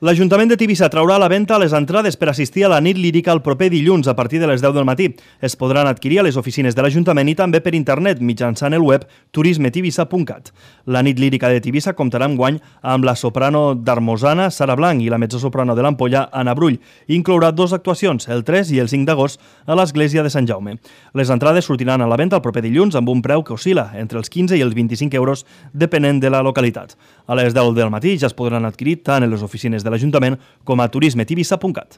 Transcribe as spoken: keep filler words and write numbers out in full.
L'Ajuntament de Tivissa traurà a la venda les entrades per assistir a la nit lírica el proper dilluns a partir de les deu del matí. Es podran adquirir a les oficines de l'Ajuntament i també per internet mitjançant el web turisme tivissa punt cat. La nit lírica de Tivissa comptarà enguany amb la soprano d'Armosana, Sara Blanc, i la mezzosoprano de l'Ampolla, Anna Brull. Inclourà dues actuacions, el tres i el cinc d'agost, a l'Església de Sant Jaume. Les entrades sortiran a la venda el proper dilluns amb un preu que oscil·la entre els quinze i els vint-i-cinc euros, depenent de la localitat. A les deu del matí ja es podran adquirir tant en les oficines de l'Ajuntament com a turisme tivissa punt cat.